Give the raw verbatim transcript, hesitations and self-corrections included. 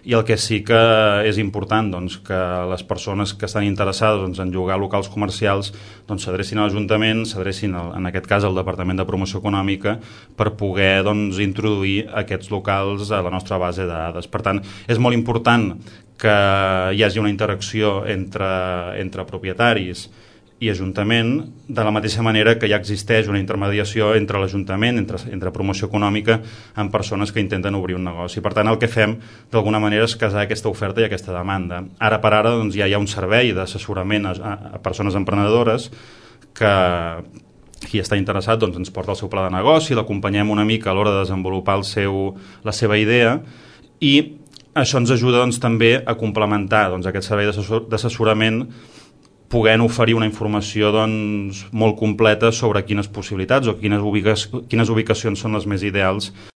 i el que sí que és important doncs, que les persones que estan interessades doncs, en llogar locals comercials doncs, s'adrecin a l'Ajuntament, s'adrecin en aquest cas al Departament de Promoció Econòmica per poder doncs, introduir aquests locals a la nostra base de dades. Per tant, és molt important que hi hagi una interacció entre, entre propietaris i Ajuntament, de la mateixa manera que ja existeix una intermediació entre l'Ajuntament, entre, entre promoció econòmica, amb persones que intenten obrir un negoci. Per tant, el que fem, d'alguna manera, és casar aquesta oferta i aquesta demanda. Ara per ara doncs, ja hi ha un servei d'assessorament a, a persones emprenedores que qui està interessat doncs, ens porta el seu pla de negoci, l'acompanyem una mica a l'hora de desenvolupar el seu, la seva idea i això ens ajuda doncs, també a complementar doncs, aquest servei d'assessorament podent oferir una informació doncs, molt completa sobre quines possibilitats o quines, ubica quines ubicacions són les més ideals